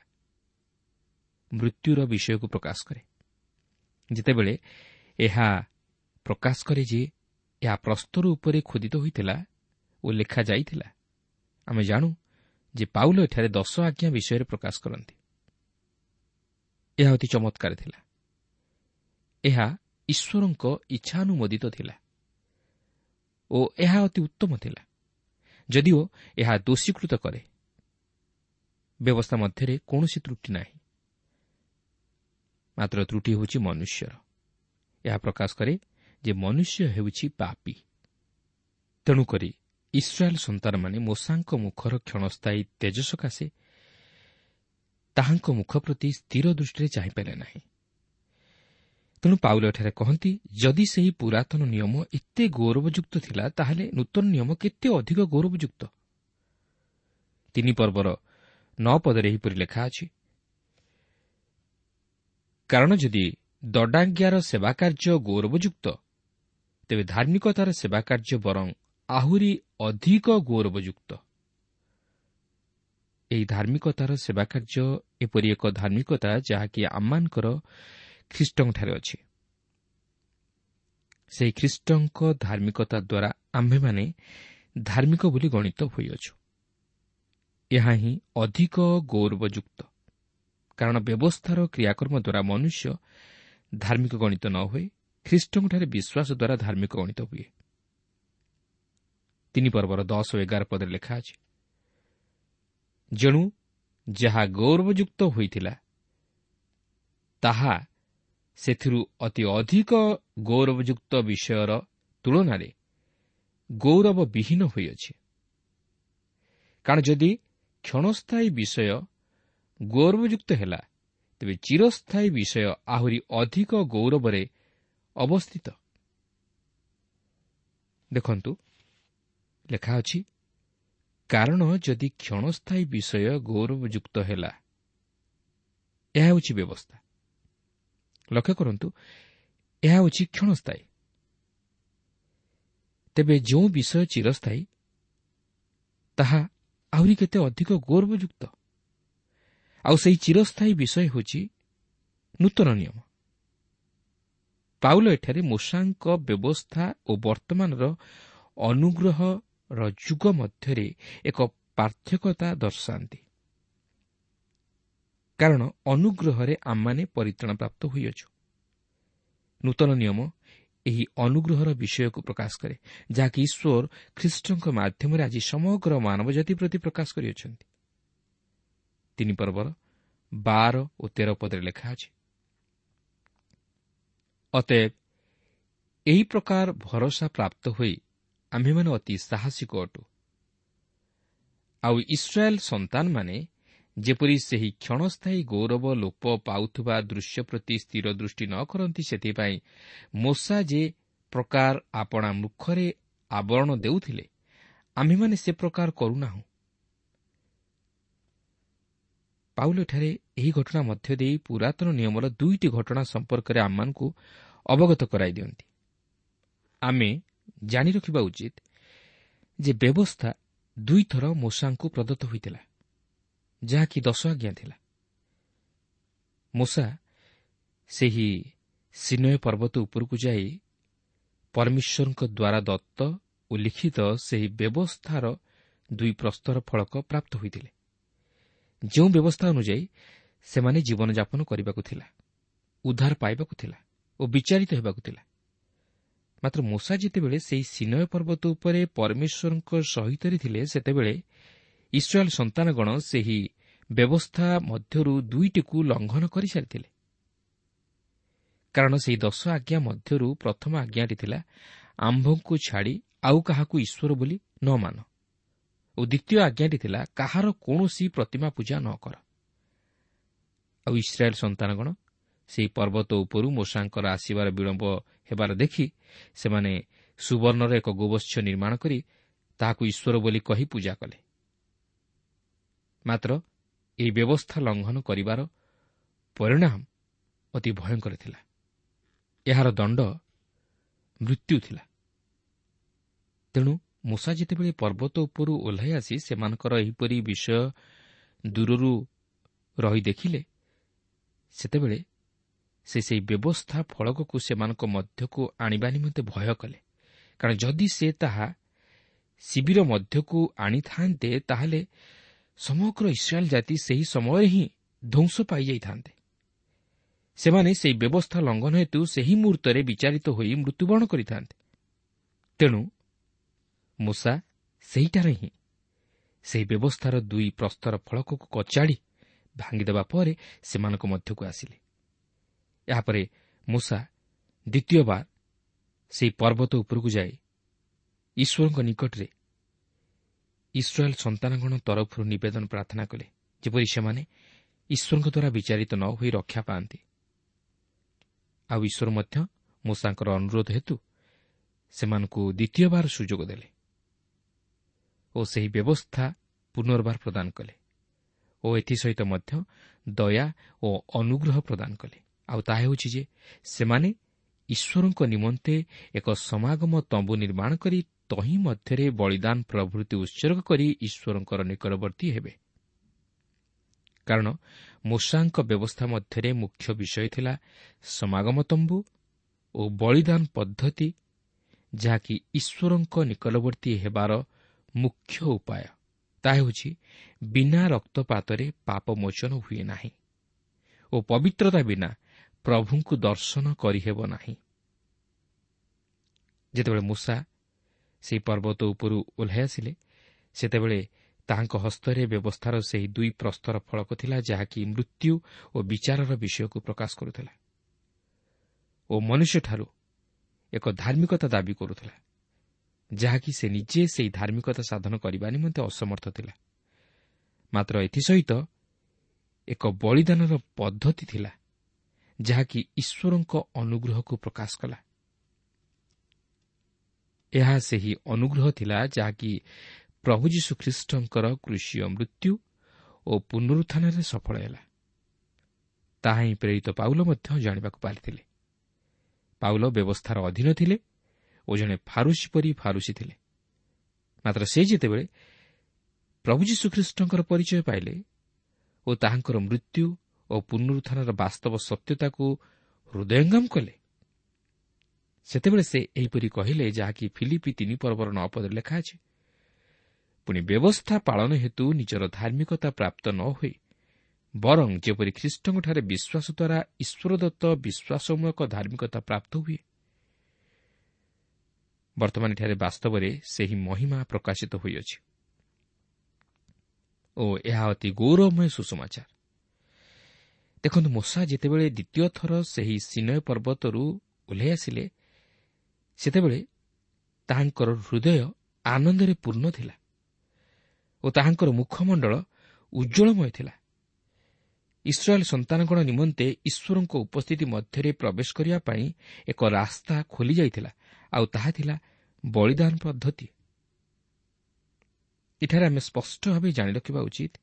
ମୃତ୍ୟୁର ବିଷୟକୁ ପ୍ରକାଶ କରେ। ଯେତେବେଳେ ଏହା ପ୍ରକାଶ କରେ ଯେ ଏହା ପ୍ରସ୍ତର ଉପରେ ଖୋଦିତ ହୋଇଥିଲା ଓ ଲେଖାଯାଇଥିଲା, ଆମେ ଜାଣୁ ଯେ ପାଉଲ ଏଠାରେ ଦଶ ଆଜ୍ଞା ବିଷୟରେ ପ୍ରକାଶ କରନ୍ତି। ଏହା ଅତି ଚମତ୍କାର ଥିଲା। ଏହା ଈଶ୍ୱରଙ୍କ ଇଚ୍ଛାନୁମୋଦିତ ଥିଲା ଓ ଏହା ଅତି ଉତ୍ତମ ଥିଲା, ଯଦିଓ ଏହା ଦୋଷୀକୃତ କରେ। ବ୍ୟବସ୍ଥା ମଧ୍ୟରେ କୌଣସି ତ୍ରୁଟି ନାହିଁ, ମାତ୍ର ତ୍ରୁଟି ହେଉଛି ମନୁଷ୍ୟର। ଏହା ପ୍ରକାଶ କରେ ଯେ ମନୁଷ୍ୟ ହେଉଛି ପାପୀ। ତେଣୁକରି ଇସ୍ରାଏଲ୍ ସନ୍ତାନମାନେ ମୋଶାଙ୍କ ମୁଖର କ୍ଷଣସ୍ଥାୟୀ ତେଜ ସକାଶେ ତାହାଙ୍କ ମୁଖ ପ୍ରତି ସ୍ଥିର ଦୃଷ୍ଟିରେ ଚାହିଁପାରିଲେ ନାହିଁ। ତେଣୁ ପାଉଲ ଏଠାରେ କହନ୍ତି, ଯଦି ସେହି ପୁରାତନ ନିୟମ ଏତେ ଗୌରବଯୁକ୍ତ ଥିଲା, ତାହେଲେ ନୂତନ ନିୟମ କେତେ ଅଧିକ ଗୌରବଯୁକ୍ତ। ତିନି ପର୍ବର ନଅ ପଦରେ ଏହିପରି ଲେଖା ଅଛି, କାରଣ ଯଦି ଦଣ୍ଡାଜ୍ଞାର ସେବାକାର୍ଯ୍ୟ ଗୌରବଯୁକ୍ତ, ତେବେ ଧାର୍ମିକତାର ସେବାକାର୍ଯ୍ୟ ବରଂ ଆହୁରି ଅଧିକ ଗୌରବଯୁକ୍ତ। ଏହି ଧାର୍ମିକତାର ସେବାକାର୍ଯ୍ୟ ଏପରି ଏକ ଧାର୍ମିକତା ଯାହାକି ଆମମାନଙ୍କର ଖ୍ରୀଷ୍ଟଙ୍କଠାରେ ଅଛି। ସେହି ଖ୍ରୀଷ୍ଟଙ୍କ ଧାର୍ମିକତା ଦ୍ୱାରା ଆମ୍ଭେମାନେ ଧାର୍ମିକ ବୋଲି ଗଣିତ ହୋଇଅଛୁ। ଏହା ହିଁ ଅଧିକ ଗୌରବଯୁକ୍ତ, କାରଣ ବ୍ୟବସ୍ଥାର କ୍ରିୟାକର୍ମ ଦ୍ୱାରା ମନୁଷ୍ୟ ଧାର୍ମିକ ଗଣିତ ନ ହୋଇ ଖ୍ରୀଷ୍ଟଙ୍କଠାରେ ବିଶ୍ୱାସ ଦ୍ୱାରା ଧାର୍ମିକ ଗଣିତ ହୁଏ। ତିନି ପର୍ବର ଦଶ ଓ ଏଗାର ପଦରେ ଲେଖା ଅଛି, ଯେଣୁ ଯାହା ଗୌରବଯୁକ୍ତ ହୋଇଥିଲା ତାହା ସେଥିରୁ ଅତି ଅଧିକ ଗୌରବଯୁକ୍ତ ବିଷୟର ତୁଳନାରେ ଗୌରବବିହୀନ ହୋଇଅଛି। କାରଣ ଯଦି କ୍ଷଣସ୍ଥାୟୀ ବିଷୟ ଗୌରବଯୁକ୍ତ ହେଲା, ତେବେ ଚିରସ୍ଥାୟୀ ବିଷୟ ଆହୁରି ଅଧିକ ଗୌରବରେ ଅବସ୍ଥିତ। ଦେଖନ୍ତୁ, ଲେଖା ଅଛି, କାରଣ ଯଦି କ୍ଷଣସ୍ଥାୟୀ ବିଷୟ ଗୌରବଯୁକ୍ତ ହେଲା, ଏହା ହେଉଛି ବ୍ୟବସ୍ଥା। ଲକ୍ଷ୍ୟ କରନ୍ତୁ, ଏହା ହେଉଛି କ୍ଷଣସ୍ଥାୟୀ। ତେବେ ଯେଉଁ ବିଷୟ ଚିରସ୍ଥାୟୀ ତାହା ଆହୁରି କେତେ ଅଧିକ ଗୌରବଯୁକ୍ତ। ଆଉ ସେହି ଚିରସ୍ଥାୟୀ ବିଷୟ ହେଉଛି ନୂତନ ନିୟମ। ପାଉଲ ଏଠାରେ ମୋଶାଙ୍କ ବ୍ୟବସ୍ଥା ଓ ବର୍ତ୍ତମାନର ଅନୁଗ୍ରହର ଯୁଗ ମଧ୍ୟରେ ଏକ ପାର୍ଥକ୍ୟତା ଦର୍ଶାନ୍ତି, କାରଣ ଅନୁଗ୍ରହରେ ଆମମାନେ ପରିତ୍ରାଣ ପ୍ରାପ୍ତ ହୋଇଅଛୁ। ନୂତନ ନିୟମ ଏହି ଅନୁଗ୍ରହର ବିଷୟକୁ ପ୍ରକାଶ କରେ, ଯାହାକି ଈଶ୍ୱର ଖ୍ରୀଷ୍ଟଙ୍କ ମାଧ୍ୟମରେ ଆଜି ସମଗ୍ର ମାନବ ଜାତି ପ୍ରତି ପ୍ରକାଶ କରିଅଛନ୍ତି। ତିନି ପର୍ବର ବାର ଓ ତେର ପଦରେ ଲେଖା ଅଛି, ଅତଏବ ଏହି ପ୍ରକାର ଭରସା ପ୍ରାପ୍ତ ହୋଇ ଆମ୍ଭେମାନେ ଅତି ସାହସିକ ଅଟୁ। ଆଉ ଇସ୍ରାଏଲ୍ ସନ୍ତାନମାନେ ଯେପରି ସେହି କ୍ଷଣସ୍ଥାୟୀ ଗୌରବ ଲୋପ ପାଉଥିବା ଦୃଶ୍ୟ ପ୍ରତି ସ୍ଥିର ଦୃଷ୍ଟି ନ କରନ୍ତି, ସେଥିପାଇଁ ମୋଶା ଯେ ପ୍ରକାର ଆପଣା ମୁଖରେ ଆବରଣ ଦେଉଥିଲେ, ଆମ୍ଭେମାନେ ସେ ପ୍ରକାର କରୁନାହୁଁ। ପାଉଲ ଏଠାରେ ଏହି ଘଟଣା ମଧ୍ୟ ଦେଇ ପୁରାତନ ନିୟମର ଦୁଇଟି ଘଟଣା ସମ୍ପର୍କରେ ଆମମାନଙ୍କୁ ଅବଗତ କରାଇ ଦିଅନ୍ତି। ଆମେ ଜାଣି ରଖିବା ଉଚିତ ଯେ ବ୍ୟବସ୍ଥା ଦୁଇଥର ମୋଶାଙ୍କୁ ପ୍ରଦତ୍ତ ହୋଇଥିଲା, ଯାହାକି ଦଶ ଆଜ୍ଞା ଥିଲା। ମୋଶା ସେହି ସିନୟ ପର୍ବତ ଉପରକୁ ଯାଇ ପରମେଶ୍ୱରଙ୍କ ଦ୍ୱାରା ଦତ୍ତ ଓ ଲିଖିତ ସେହି ବ୍ୟବସ୍ଥାର ଦୁଇ ପ୍ରସ୍ତର ଫଳକ ପ୍ରାପ୍ତ ହୋଇଥିଲେ, ଯେଉଁ ବ୍ୟବସ୍ଥା ଅନୁଯାୟୀ ସେମାନେ ଜୀବନଯାପନ କରିବାକୁ ଥିଲା, ଉଦ୍ଧାର ପାଇବାକୁ ଥିଲା ଓ ବିଚାରିତ ହେବାକୁ ଥିଲା। ମାତ୍ର ମୋଶା ଯେତେବେଳେ ସେହି ସିନୟ ପର୍ବତ ଉପରେ ପରମେଶ୍ୱରଙ୍କ ସହିତରେ ଥିଲେ, ସେତେବେଳେ ଇସ୍ରାଏଲ ସନ୍ତାନଗଣ ସେହି ବ୍ୟବସ୍ଥା ମଧ୍ୟରୁ ଦୁଇଟିକୁ ଲଙ୍ଘନ କରିସାରିଥିଲେ। କାରଣ ସେହି ଦଶ ଆଜ୍ଞା ମଧ୍ୟରୁ ପ୍ରଥମ ଆଜ୍ଞାଟି ଥିଲା, ଆମ୍ଭଙ୍କୁ ଛାଡ଼ି ଆଉ କାହାକୁ ଈଶ୍ୱର ବୋଲି ନ ମାନ, ଓ ଦ୍ୱିତୀୟ ଆଜ୍ଞାଟି ଥିଲା, କାହାର କୌଣସି ପ୍ରତିମା ପୂଜା ନ କର। ଆଉ ଇସ୍ରାଏଲ ସନ୍ତାନଗଣ ସେହି ପର୍ବତ ଉପରୁ ମୋଶାଙ୍କର ଆସିବାର ବିଳମ୍ବ ହେବାର ଦେଖି ସେମାନେ ସୁବର୍ଣ୍ଣର ଏକ ଗୋବତ୍ସ ନିର୍ମାଣ କରି ତାହାକୁ ଈଶ୍ୱର ବୋଲି କହି ପୂଜା କଲେ। ମାତ୍ର ଏହି ବ୍ୟବସ୍ଥା ଲଙ୍ଘନ କରିବାର ପରିଣାମ ଅତି ଭୟଙ୍କର ଥିଲା। ଏହାର ଦଣ୍ଡ ମୃତ୍ୟୁ ଥିଲା। ତେଣୁ ମୋଶା ଯେତେବେଳେ ପର୍ବତ ଉପରୁ ଓହ୍ଲାଇ ଆସି ସେମାନଙ୍କର ଏହିପରି ବିଷୟ ଦୂରରୁ ରହି ଦେଖିଲେ, ସେତେବେଳେ ସେ ସେହି ବ୍ୟବସ୍ଥା ଫଳକକୁ ସେମାନଙ୍କ ମଧ୍ୟକୁ ଆଣିବା ନିମନ୍ତେ ଭୟ କଲେ। କାରଣ ଯଦି ସେ ତାହା ଶିବିର ମଧ୍ୟକୁ ଆଣିଥାନ୍ତେ, ତାହେଲେ ସମଗ୍ର ଇସ୍ରାଏଲ ଜାତି ସେହି ସମୟରେ ହିଁ ଧ୍ୱଂସ ପାଇଯାଇଥାନ୍ତେ। ସେମାନେ ସେହି ବ୍ୟବସ୍ଥା ଲଙ୍ଘନ ହେତୁ ସେହି ମୁହୂର୍ତ୍ତରେ ବିଚାରିତ ହୋଇ ମୃତ୍ୟୁବରଣ କରିଥାନ୍ତେ। ତେଣୁ ମୋଶା ସେହିଠାରେ ହିଁ ସେହି ବ୍ୟବସ୍ଥାର ଦୁଇ ପ୍ରସ୍ତର ଫଳକକୁ କଚାଡ଼ି ଭାଙ୍ଗିଦେବା ପରେ ସେମାନଙ୍କ ମଧ୍ୟକୁ ଆସିଲେ। ଏହାପରେ ମୋଶା ଦ୍ୱିତୀୟବାର ସେହି ପର୍ବତ ଉପରକୁ ଯାଇ ଈଶ୍ୱରଙ୍କ ନିକଟରେ ଇସ୍ରାଏଲ ସନ୍ତାନଗଣ ତରଫରୁ ନିବେଦନ ପ୍ରାର୍ଥନା କଲେ, ଯେପରି ସେମାନେ ଈଶ୍ୱରଙ୍କ ଦ୍ୱାରା ବିଚାରିତ ନ ହୋଇ ରକ୍ଷା ପାଆନ୍ତି। ଆଉ ଈଶ୍ୱର ମଧ୍ୟ ମୋଶାଙ୍କର ଅନୁରୋଧ ହେତୁ ସେମାନଙ୍କୁ ଦ୍ୱିତୀୟବାର ସୁଯୋଗ ଦେଲେ ଓ ସେହି ବ୍ୟବସ୍ଥା ପୁନର୍ବାର ପ୍ରଦାନ କଲେ ଓ ଏଥିସହିତ ମଧ୍ୟ ଦୟା ଓ ଅନୁଗ୍ରହ ପ୍ରଦାନ କଲେ। ଆଉ ତାହା ହେଉଛି ଯେ ସେମାନେ ଈଶ୍ୱରଙ୍କ ନିମନ୍ତେ ଏକ ସମାଗମ ତମ୍ବୁ ନିର୍ମାଣ କରି ତହିଁ ମଧ୍ୟରେ ବଳିଦାନ ପ୍ରଭୃତି ଉତ୍ସର୍ଗ କରି ଈଶ୍ୱରଙ୍କର ନିକଟବର୍ତ୍ତୀ ହେବେ। କାରଣ ମୋଶାଙ୍କ ବ୍ୟବସ୍ଥା ମଧ୍ୟରେ ମୁଖ୍ୟ ବିଷୟ ଥିଲା ସମାଗମ ତମ୍ବୁ ଓ ବଳିଦାନ ପଦ୍ଧତି, ଯାହାକି ଈଶ୍ୱରଙ୍କ ନିକଟବର୍ତ୍ତୀ ହେବାର ମୁଖ୍ୟ ଉପାୟ। ତାହା ହେଉଛି ବିନା ରକ୍ତପାତରେ ପାପ ମୋଚନ ହୁଏ ନାହିଁ ଓ ପବିତ୍ରତା ବିନା ପ୍ରଭୁଙ୍କୁ ଦର୍ଶନ କରିହେବ ନାହିଁ। ଯେତେବେଳେ ମୋଶା ସେହି ପର୍ବତ ଉପରୁ ଓହ୍ଲାଇ ଆସିଲେ, ସେତେବେଳେ ତାହାଙ୍କ ହସ୍ତରେ ବ୍ୟବସ୍ଥାର ସେହି ଦୁଇ ପ୍ରସ୍ତର ଫଳକ ଥିଲା, ଯାହାକି ମୃତ୍ୟୁ ଓ ବିଚାରର ବିଷୟକୁ ପ୍ରକାଶ କରୁଥିଲା ଓ ମନୁଷ୍ୟଠାରୁ ଏକ ଧାର୍ମିକତା ଦାବି କରୁଥିଲା, ଯାହାକି ସେ ନିଜେ ସେହି ଧାର୍ମିକତା ସାଧନ କରିବା ନିମନ୍ତେ ଅସମର୍ଥ ଥିଲା। ମାତ୍ର ଏଥିସହିତ ଏକ ବଳିଦାନର ପଦ୍ଧତି ଥିଲା, ଯାହାକି ଈଶ୍ୱରଙ୍କ ଅନୁଗ୍ରହକୁ ପ୍ରକାଶ କଲା। ଏହା ସେହି ଅନୁଗ୍ରହ ଥିଲା ଯାହାକି ପ୍ରଭୁ ଯୀଶୁଖ୍ରୀଷ୍ଟଙ୍କର କ୍ରୁଶୀୟ ମୃତ୍ୟୁ ଓ ପୁନରୁତ୍ଥାନରେ ସଫଳ ହେଲା। ତାହା ହିଁ ପ୍ରେରିତ ପାଉଲ ମଧ୍ୟ ଜାଣିବାକୁ ପାରିଥିଲେ। ପାଉଲ ବ୍ୟବସ୍ଥାର ଅଧୀନ ଥିଲେ ଓ ଜଣେ ଫାରୁସୀ ପରି ଫାରୁସୀ ଥିଲେ। ମାତ୍ର ସେ ଯେତେବେଳେ ପ୍ରଭୁ ଯୀଶୁଖ୍ରୀଷ୍ଟଙ୍କର ପରିଚୟ ପାଇଲେ ଓ ତାହାଙ୍କର ମୃତ୍ୟୁ ଓ ପୁନରୁତ୍ଥାନର ବାସ୍ତବ ସତ୍ୟତାକୁ ହୃଦୟଙ୍ଗମ କଲେ, ସେତେବେଳେ ସେ ଏହିପରି କହିଲେ, ଯାହାକି ଫିଲିପି ତିନି ପର୍ବର ନଅ ପଦରେ ଲେଖା ଅଛି, ପୁଣି ବ୍ୟବସ୍ଥା ପାଳନ ହେତୁ ନିଜର ଧାର୍ମିକତା ପ୍ରାପ୍ତ ନ ହୋଇ ବରଂ ଯେପରି ଖ୍ରୀଷ୍ଟଙ୍କଠାରେ ବିଶ୍ୱାସ ଦ୍ୱାରା ଈଶ୍ୱରଦତ୍ତ ବିଶ୍ୱାସମୂଳକ ଧାର୍ମିକତା ପ୍ରାପ୍ତ ହୁଏ। ବର୍ତ୍ତମାନ ଏଠାରେ ବାସ୍ତବରେ ସେହି ମହିମା ପ୍ରକାଶିତ ହୋଇଅଛି ଓ ଏହା ଅତି ଗୌରବମୟ ସୁସମାଚାର। ଦେଖନ୍ତୁ, ମୋଶା ଯେତେବେଳେ ଦ୍ୱିତୀୟ ଥର ସେହି ସିନୟ ପର୍ବତରୁ ଓହ୍ଲାଇ ଆସିଲେ, ସେତେବେଳେ ତାହାଙ୍କର ହୃଦୟ ଆନନ୍ଦରେ ପୂର୍ଣ୍ଣ ଥିଲା ଓ ତାହାଙ୍କର ମୁଖମଣ୍ଡଳ ଉଜ୍ଜ୍ୱଳମୟ ଥିଲା। ଇସ୍ରାଏଲ୍ ସନ୍ତାନଗଣ ନିମନ୍ତେ ଈଶ୍ୱରଙ୍କ ଉପସ୍ଥିତି ମଧ୍ୟରେ ପ୍ରବେଶ କରିବା ପାଇଁ ଏକ ରାସ୍ତା ଖୋଲିଯାଇଥିଲା, ଆଉ ତାହା ଥିଲା ବଳିଦାନ ପଦ୍ଧତି। ଏଠାରେ ଆମେ ସ୍ପଷ୍ଟ ଭାବେ ଜାଣି ରଖିବା ଉଚିତ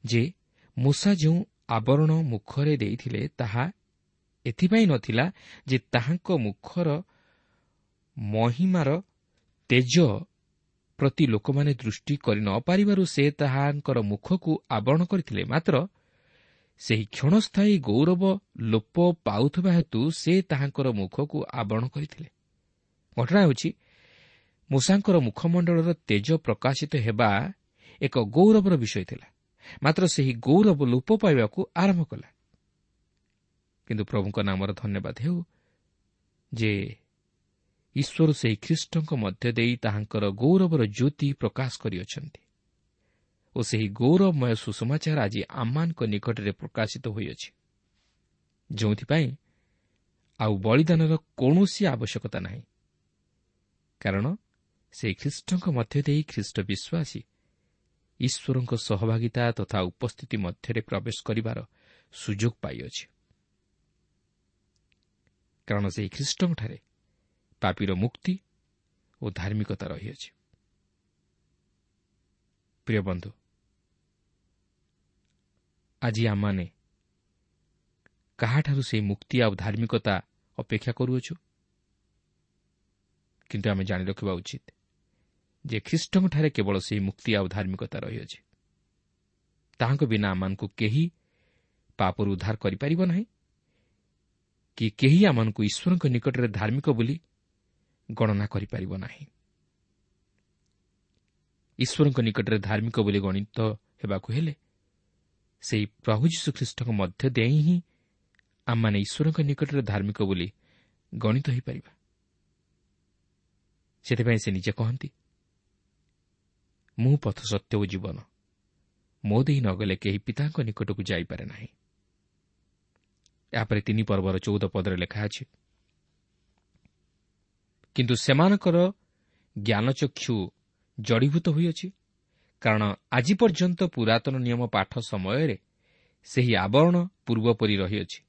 ଯେ ମୂଷା ଯେଉଁ ଆବରଣ ମୁଖରେ ଦେଇଥିଲେ ତାହା ଏଥିପାଇଁ ନଥିଲା ଯେ ତାହାଙ୍କ ମୁଖର ମହିମାର ତେଜ ପ୍ରତି ଲୋକମାନେ ଦୃଷ୍ଟି କରି ନ ପାରିବାରୁ ସେ ତାହାଙ୍କର ମୁଖକୁ ଆବରଣ କରିଥିଲେ, ମାତ୍ର ସେହି କ୍ଷଣସ୍ଥାୟୀ ଗୌରବ ଲୋପ ପାଉଥିବା ହେତୁ ସେ ତାହାଙ୍କର ମୁଖକୁ ଆବରଣ କରିଥିଲେ। ଘଟଣା ହେଉଛି, ମୂଷାଙ୍କର ମୁଖମଣ୍ଡଳର ତେଜ ପ୍ରକାଶିତ ହେବା ଏକ ଗୌରବର ବିଷୟ ଥିଲା, ମାତ୍ର ସେହି ଗୌରବ ଲୋପ ପାଇବାକୁ ଆରମ୍ଭ କଲା। କିନ୍ତୁ ପ୍ରଭୁଙ୍କ ନାମର ଧନ୍ୟବାଦ ହେଉ ଯେ ଈଶ୍ୱର ସେହି ଖ୍ରୀଷ୍ଟଙ୍କ ମଧ୍ୟ ଦେଇ ତାହାଙ୍କର ଗୌରବର ଜ୍ୟୋତି ପ୍ରକାଶ କରିଅଛନ୍ତି ଓ ସେହି ଗୌରବମୟ ସୁସମାଚାର ଆଜି ଆମମାନଙ୍କ ନିକଟରେ ପ୍ରକାଶିତ ହୋଇଅଛି, ଯେଉଁଥିପାଇଁ ଆଉ ବଳିଦାନର କୌଣସି ଆବଶ୍ୟକତା ନାହିଁ, କାରଣ ସେହି ଖ୍ରୀଷ୍ଟଙ୍କ ମଧ୍ୟ ଦେଇ ଖ୍ରୀଷ୍ଟ ବିଶ୍ୱାସୀ ଈଶ୍ୱରଙ୍କ ସହଭାଗିତା ତଥା ଉପସ୍ଥିତି ମଧ୍ୟରେ ପ୍ରବେଶ କରିବାର ସୁଯୋଗ ପାଇଅଛି। କାରଣ ସେହି ଖ୍ରୀଷ୍ଟଙ୍କଠାରେ ପାପୀର ମୁକ୍ତି ଓ ଧାର୍ମିକତା ରହିଅଛି। ପ୍ରିୟ ବନ୍ଧୁ, ଆଜି ଆମମାନେ କାହାଠାରୁ ସେହି ମୁକ୍ତି ଆଉ ଧାର୍ମିକତା ଅପେକ୍ଷା କରୁଅଛୁ? କିନ୍ତୁ ଆମେ ଜାଣି ରଖିବା ଉଚିତ ଯେ ଖ୍ରୀଷ୍ଟଙ୍କଠାରେ କେବଳ ସେହି ମୁକ୍ତି ଆଉ ଧାର୍ମିକତା ରହିଅଛି। ତାହାଙ୍କ ବିନା ଆମମାନଙ୍କୁ କେହି ପାପରୁ ଉଦ୍ଧାର କରିପାରିବ ନାହିଁ କି କେହି ଆମମାନଙ୍କୁ ଈଶ୍ୱରଙ୍କ ନିକଟରେ ଧାର୍ମିକ ବୋଲି ଗଣନା କରିପାରିବ ନାହିଁ। ଈଶ୍ୱରଙ୍କ ନିକଟରେ ଧାର୍ମିକ ବୋଲି ଗଣିତ ହେବାକୁ ହେଲେ ସେହି ପ୍ରଭୁ ଯୀଶୁଖ୍ରୀଷ୍ଟଙ୍କ ମଧ୍ୟ ଦେଇ ହିଁ ଆମମାନେ ଈଶ୍ୱରଙ୍କ ନିକଟରେ ଧାର୍ମିକ ବୋଲି ଗଣିତ ହୋଇପାରିବା। ସେଥିପାଇଁ ସେ ନିଜେ କହନ୍ତି, ମୁଁ ପଥ, ସତ୍ୟ ଓ ଜୀବନ, ମୋ ଦେଇ ନଗଲେ କେହି ପିତାଙ୍କ ନିକଟକୁ ଯାଇପାରେ ନାହିଁ। ଏହାପରେ ତିନି ପର୍ବର ଚଉଦ ପଦରେ ଲେଖା ଅଛି, କିନ୍ତୁ ସେମାନଙ୍କର ଜ୍ଞାନଚକ୍ଷୁ ଜଡ଼ୀଭୂତ ହୋଇଅଛି, କାରଣ ଆଜି ପର୍ଯ୍ୟନ୍ତ ପୁରାତନ ନିୟମ ପାଠ ସମୟରେ ସେହି ଆବରଣ ପୂର୍ବପରି ରହିଅଛି,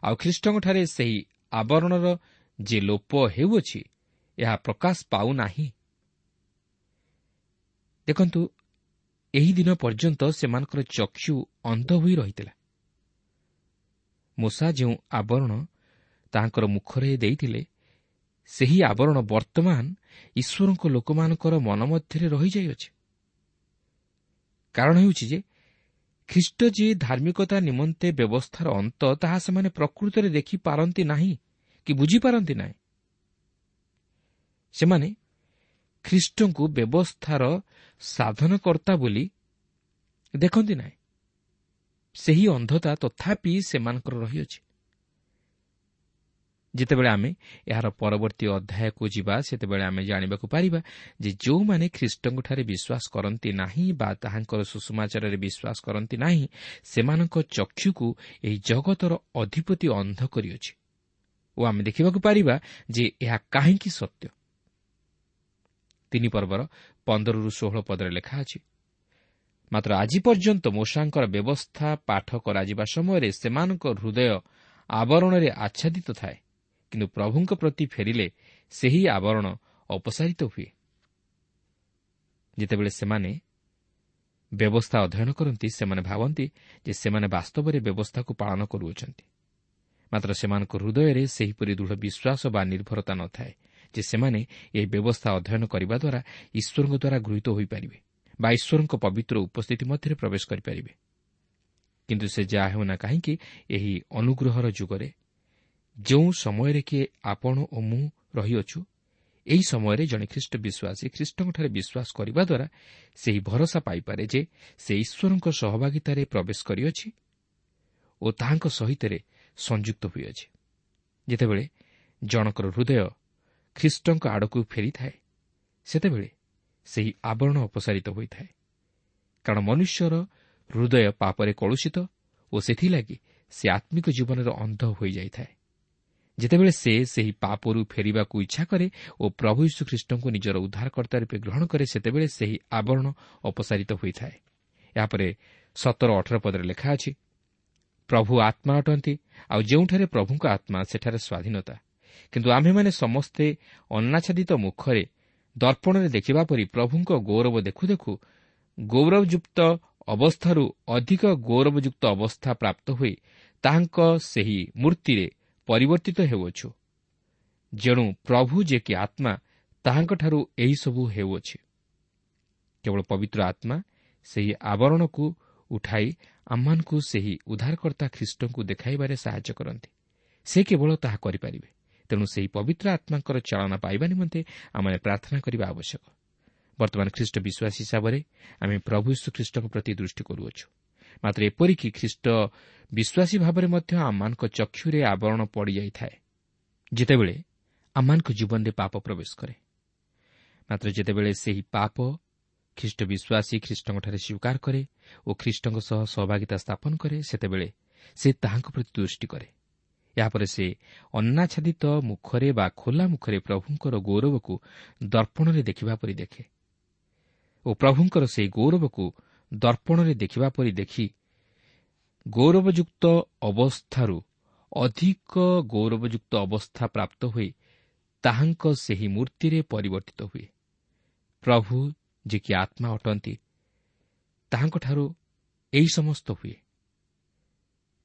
ଆଉ ଖ୍ରୀଷ୍ଟଙ୍କଠାରେ ସେହି ଆବରଣର ଯେ ଲୋପ ହେଉଅଛି ଏହା ପ୍ରକାଶ ପାଉନାହିଁ। ଦେଖନ୍ତୁ, ଏହି ଦିନ ପର୍ଯ୍ୟନ୍ତ ସେମାନଙ୍କର ଚକ୍ଷୁ ଅନ୍ଧ ହୋଇ ରହିଥିଲା। ମୂଷା ଯେଉଁ ଆବରଣ ତାହାଙ୍କର ମୁଖରେ ଦେଇଥିଲେ, ସେହି ଆବରଣ ବର୍ତ୍ତମାନ ଈଶ୍ୱରଙ୍କ ଲୋକମାନଙ୍କର ମନ ମଧ୍ୟରେ ରହିଯାଇଅଛି। କାରଣ ହେଉଛି ଯେ ଖ୍ରୀଷ୍ଟ ଯେ ଧାର୍ମିକତା ନିମନ୍ତେ ବ୍ୟବସ୍ଥାର ଅନ୍ତ, ତାହା ସେମାନେ ପ୍ରକୃତରେ ଦେଖିପାରନ୍ତି ନାହିଁ କି ବୁଝିପାରନ୍ତି ନାହିଁ। ସେମାନେ ଖ୍ରୀଷ୍ଟଙ୍କୁ ବ୍ୟବସ୍ଥାର ସାଧନକର୍ତ୍ତା ବୋଲି ଦେଖନ୍ତି ନାହିଁ। ସେହି ଅନ୍ଧତା ତଥାପି ସେମାନଙ୍କର ରହିଅଛି। ଯେତେବେଳେ ଆମେ ଏହାର ପରବର୍ତ୍ତୀ ଅଧ୍ୟାୟକୁ ଯିବା, ସେତେବେଳେ ଆମେ ଜାଣିବାକୁ ପାରିବା ଯେ ଯେଉଁମାନେ ଖ୍ରୀଷ୍ଟଙ୍କଠାରେ ବିଶ୍ୱାସ କରନ୍ତି ନାହିଁ ବା ତାହାଙ୍କର ସୁସମାଚାରରେ ବିଶ୍ୱାସ କରନ୍ତି ନାହିଁ, ସେମାନଙ୍କ ଚକ୍ଷୁକୁ ଏହି ଜଗତର ଅଧିପତି ଅନ୍ଧ କରିଅଛି ଓ ଆମେ ଦେଖିବାକୁ ପାରିବା ଯେ ଏହା କାହିଁକି ସତ୍ୟ। ତିନି ପର୍ବର ପନ୍ଦରରୁ ଷୋହଳ ପଦରେ ଲେଖା ଅଛି, ମାତ୍ର ଆଜି ପର୍ଯ୍ୟନ୍ତ ମୋଶାଙ୍କର ବ୍ୟବସ୍ଥା ପାଠ କରାଯିବା ସମୟରେ ସେମାନଙ୍କ ହୃଦୟ ଆବରଣରେ ଆଚ୍ଛାଦିତ ଥାଏ, କିନ୍ତୁ ପ୍ରଭୁଙ୍କ ପ୍ରତି ଫେରିଲେ ସେହି ଆବରଣ ଅପସାରିତ ହୁଏ। ଯେତେବେଳେ ସେମାନେ ବ୍ୟବସ୍ଥା ଅଧ୍ୟୟନ କରନ୍ତି, ସେମାନେ ଭାବନ୍ତି ଯେ ସେମାନେ ବାସ୍ତବରେ ବ୍ୟବସ୍ଥାକୁ ପାଳନ କରୁଅଛନ୍ତି, ମାତ୍ର ସେମାନଙ୍କ ହୃଦୟରେ ସେହିପରି ଦୃଢ଼ ବିଶ୍ୱାସ ବା ନିର୍ଭରତା ନଥାଏ ଯେ ସେମାନେ ଏହି ବ୍ୟବସ୍ଥା ଅଧ୍ୟୟନ କରିବା ଦ୍ୱାରା ଈଶ୍ୱରଙ୍କ ଦ୍ୱାରା ଗୃହୀତ ହୋଇପାରିବେ ବା ଈଶ୍ୱରଙ୍କ ପବିତ୍ର ଉପସ୍ଥିତି ମଧ୍ୟରେ ପ୍ରବେଶ କରିପାରିବେ। କିନ୍ତୁ ସେ ଯାହା ହେଉନା କାହିଁକି, ଏହି ଅନୁଗ୍ରହର ଯୁଗରେ ଯେଉଁ ସମୟରେ କିଏ ଆପଣ ଓ ମୁଁ ରହିଅଛୁ, ଏହି ସମୟରେ ଜଣେ ଖ୍ରୀଷ୍ଟ ବିଶ୍ୱାସୀ ଖ୍ରୀଷ୍ଟଙ୍କଠାରେ ବିଶ୍ୱାସ କରିବା ଦ୍ୱାରା ସେହି ଭରସା ପାଇପାରେ ଯେ ସେ ଈଶ୍ୱରଙ୍କ ସହଭାଗିତାରେ ପ୍ରବେଶ କରିଅଛି ଓ ତାହାଙ୍କ ସହିତରେ ସଂଯୁକ୍ତ ହୋଇଅଛି। ଯେତେବେଳେ ଜଣଙ୍କର ହୃଦୟ ଖ୍ରୀଷ୍ଟଙ୍କ ଆଡ଼କୁ ଫେରିଥାଏ, ସେତେବେଳେ ସେହି ଆବରଣ ଅପସାରିତ ହୋଇଥାଏ, କାରଣ ମନୁଷ୍ୟର ହୃଦୟ ପାପରେ କଳୁଷିତ ଓ ସେଥିଲାଗି ସେ ଆତ୍ମିକ ଜୀବନରେ ଅନ୍ଧ ହୋଇଯାଇଥାଏ। ଯେତେବେଳେ ସେ ସେହି ପାପରୁ ଫେରିବାକୁ ଇଚ୍ଛା କରେ ଓ ପ୍ରଭୁ ଯୀଶୁଖ୍ରୀଷ୍ଟଙ୍କୁ ନିଜର ଉଦ୍ଧାରକର୍ତ୍ତା ରୂପେ ଗ୍ରହଣ କରେ, ସେତେବେଳେ ସେହି ଆବରଣ ଅପସାରିତ ହୋଇଥାଏ। ଏହାପରେ ସତର ଅଠର ପଦରେ ଲେଖା ଅଛି, ପ୍ରଭୁ ଆତ୍ମା ଅଟନ୍ତି, ଆଉ ଯେଉଁଠାରେ ପ୍ରଭୁଙ୍କ ଆତ୍ମା ସେଠାରେ ସ୍ୱାଧୀନତା। କିନ୍ତୁ ଆମ୍ଭେମାନେ ସମସ୍ତେ ଅନାଚ୍ଛାଦିତ ମୁଖରେ ଦର୍ପଣରେ ଦେଖିବା ପରି ପ୍ରଭୁଙ୍କ ଗୌରବ ଦେଖୁ ଦେଖୁ ଗୌରବଯୁକ୍ତ ଅବସ୍ଥାରୁ ଅଧିକ ଗୌରବଯୁକ୍ତ ଅବସ୍ଥା ପ୍ରାପ୍ତ ହୋଇ ତାହାଙ୍କ ସେହି ମୂର୍ତ୍ତିରେ ପରିବର୍ତ୍ତିତ ହେଉଅଛୁ। ଯେଣୁ ପ୍ରଭୁ ଯେ କି ଆତ୍ମା, ତାହାଙ୍କଠାରୁ ଏହିସବୁ ହେଉଅଛି। କେବଳ ପବିତ୍ର ଆତ୍ମା ସେହି ଆବରଣକୁ ଉଠାଇ ଆମମାନଙ୍କୁ ସେହି ଉଦ୍ଧାରକର୍ତ୍ତା ଖ୍ରୀଷ୍ଟଙ୍କୁ ଦେଖାଇବାରେ ସାହାଯ୍ୟ କରନ୍ତି। ସେ କେବଳ ତାହା କରିପାରିବେ। ତେଣୁ ସେହି ପବିତ୍ର ଆତ୍ମାଙ୍କର ଚାଳନା ପାଇବା ନିମନ୍ତେ ଆମେ ପ୍ରାର୍ଥନା କରିବା ଆବଶ୍ୟକ। ବର୍ତ୍ତମାନ ଖ୍ରୀଷ୍ଟ ବିଶ୍ୱାସୀ ହିସାବରେ ଆମେ ପ୍ରଭୁ ଯୀଶୁ ଖ୍ରୀଷ୍ଟଙ୍କ ପ୍ରତି ଦୃଷ୍ଟି କରୁଅଛୁ। ମାତ୍ର ଏପରିକି ଖ୍ରୀଷ୍ଟ ବିଶ୍ୱାସୀ ଭାବରେ ମଧ୍ୟ ଆମମାନଙ୍କ ଚକ୍ଷୁରେ ଆବରଣ ପଡ଼ିଯାଇଥାଏ, ଯେତେବେଳେ ଆମମାନଙ୍କ ଜୀବନରେ ପାପ ପ୍ରବେଶ କରେ। ମାତ୍ର ଯେତେବେଳେ ସେହି ପାପ ଖ୍ରୀଷ୍ଟ ବିଶ୍ୱାସୀ ଖ୍ରୀଷ୍ଟଙ୍କଠାରେ ସ୍ୱୀକାର କରେ ଓ ଖ୍ରୀଷ୍ଟଙ୍କ ସହ ସହଭାଗିତା ସ୍ଥାପନ କରେ, ସେତେବେଳେ ସେ ତାହାଙ୍କ ପ୍ରତି ଦୃଷ୍ଟି କରେ। ଏହାପରେ ସେ ଅନାଚ୍ଛାଦିତ ମୁଖରେ ବା ଖୋଲା ମୁଖରେ ପ୍ରଭୁଙ୍କର ଗୌରବକୁ ଦର୍ପଣରେ ଦେଖିବା ପରି ଦେଖେ ଓ ପ୍ରଭୁଙ୍କର ସେହି ଗୌରବକୁ ଦର୍ପଣରେ ଦେଖିବା ପରି ଦେଖି ଗୌରବଯୁକ୍ତ ଅବସ୍ଥାରୁ ଅଧିକ ଗୌରବଯୁକ୍ତ ଅବସ୍ଥା ପ୍ରାପ୍ତ ହୋଇ ତାହାଙ୍କ ସେହି ମୂର୍ତ୍ତିରେ ପରିବର୍ତ୍ତିତ ହୁଏ। ପ୍ରଭୁ ଯେ କି ଆତ୍ମା ଅଟନ୍ତି, ତାହାଙ୍କଠାରୁ ଏହି ସମସ୍ତ ହୁଏ।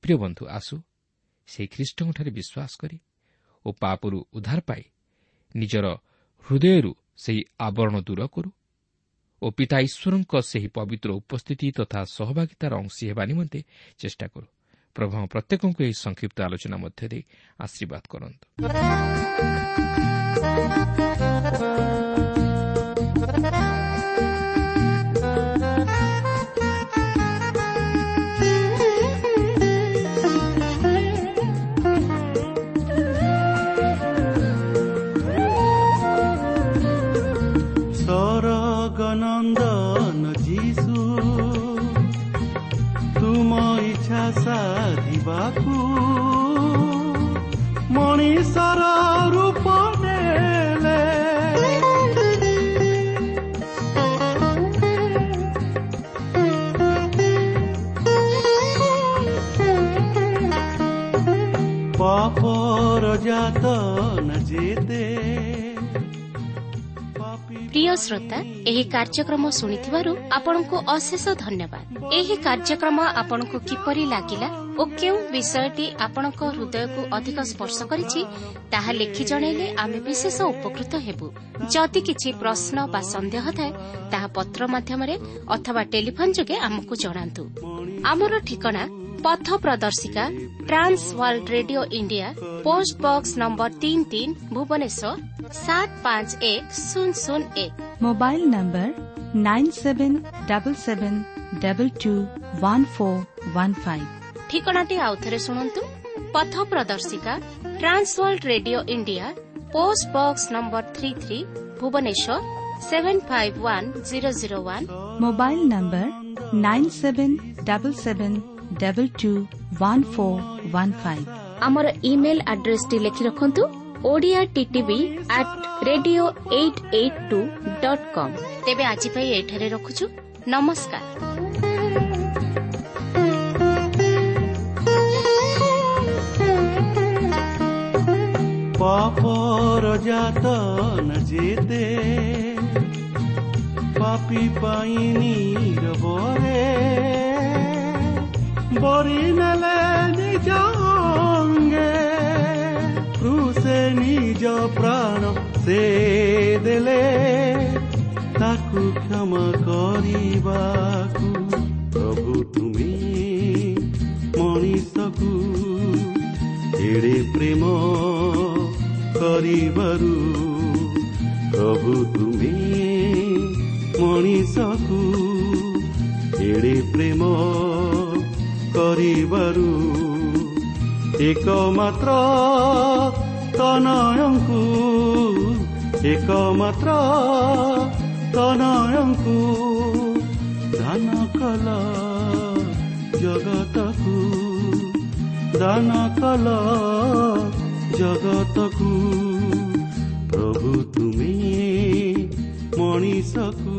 ପ୍ରିୟ ବନ୍ଧୁ, ଆସୁ ସେହି ଖ୍ରୀଷ୍ଟଙ୍କଠାରେ ବିଶ୍ୱାସ କରି ଓ ପାପରୁ ଉଦ୍ଧାର ପାଇ ନିଜର ହୃଦୟରୁ ସେହି ଆବରଣ ଦୂର କରୁ ଓ ପିତା ଈଶ୍ୱରଙ୍କ ସେହି ପବିତ୍ର ଉପସ୍ଥିତି ତଥା ସହଭାଗିତାର ଅଂଶୀ ହେବା ନିମନ୍ତେ ଚେଷ୍ଟା କରୁ। ପ୍ରଭୁ ପ୍ରତ୍ୟେକଙ୍କୁ ଏହି ସଂକ୍ଷିପ୍ତ ଆଲୋଚନା ମଧ୍ୟ ଦେଇ ଆଶୀର୍ବାଦ କରନ୍ତୁ। ସରଗନନ୍ଦନ ଯୀଶୁ, ତୁମ ଇଚ୍ଛା ସାଧିବାକୁ ମଣିଷର ରୂପ ନେଲେ। ପାପର ଯାତନା ଯେତେ। ପ୍ରିୟ ଶ୍ରୋତା, ଏହି କାର୍ଯ୍ୟକ୍ରମ ଶୁଣିଥିବାରୁ ଆପଣଙ୍କୁ ଅଶେଷ ଧନ୍ୟବାଦ। ଏହି କାର୍ଯ୍ୟକ୍ରମ ଆପଣଙ୍କୁ କିପରି ଲାଗିଲା ଓ କେଉଁ ବିଷୟଟି ଆପଣଙ୍କ ହୃଦୟକୁ ଅଧିକ ସ୍ପର୍ଶ କରିଛି, ତାହା ଲେଖି ଜଣାଇଲେ ଆମେ ବିଶେଷ ଉପକୃତ ହେବୁ। ଯଦି କିଛି ପ୍ରଶ୍ନ ବା ସନ୍ଦେହ ଥାଏ, ତାହା ପତ୍ର ମାଧ୍ୟମରେ ଅଥବା ଟେଲିଫୋନ୍ ଯୋଗେ ଆମକୁ ଜଣାନ୍ତୁ। ଆମର ଠିକଣା ପଥ ପ୍ରଦର୍ଶିକା, trans world radio India, post box number ତିନି ତିନି, ଭୁବନେଶ୍ୱର ସାତ ପାଞ୍ଚ ଏକ ଶୂନ ଶୂନ ଏକ। Mobile number nine seven double seven double two one four one five. ଠିକଣାଟି ଆଉଥରେ ଶୁଣନ୍ତୁ। ପଥ ପ୍ରଦର୍ଶିକା, trans world radio India, post box number three three, Bhubaneswar seven five one zero zero one. Mobile number nine seven double seven double two one four one five. ଆମର email ଆଡ୍ରେସଟି ଲେଖି ରଖନ୍ତୁ, Odia TTV at radio eight eight two dot com. ତେବେ ଆଜି ପାଇଁ ଏଠାରେ ରଖୁଛୁ। ନମସ୍କାର। ପାପର ଯାତନା ଯେତେ ପାପୀ ପାଇଁ ନୀରବରେ ବରି ନେଲେ ନିଜ ଅଙ୍ଗେ, କ୍ରୁଶେ ନିଜ ପ୍ରାଣ ସେ ଦେଲେ ତାକୁ କ୍ଷମା କରିବାକୁ। ପ୍ରଭୁ ତୁମେ ମଣିଷକୁ ଏଡ଼େ ପ୍ରେମ କରିବାରୁ, ପ୍ରଭୁ ତୁମେ ମଣିଷକୁ ଏଡ଼େ ପ୍ରେମ କରିବାରୁ ଏକମାତ୍ର ତନୟଙ୍କୁ, ଏକମାତ୍ର ତନୟଙ୍କୁ ଦାନ କଲ ଜଗତକୁ, ଦାନ କଲ ଜଗତକୁ। ପ୍ରଭୁ ତୁମେ ମଣିଷକୁ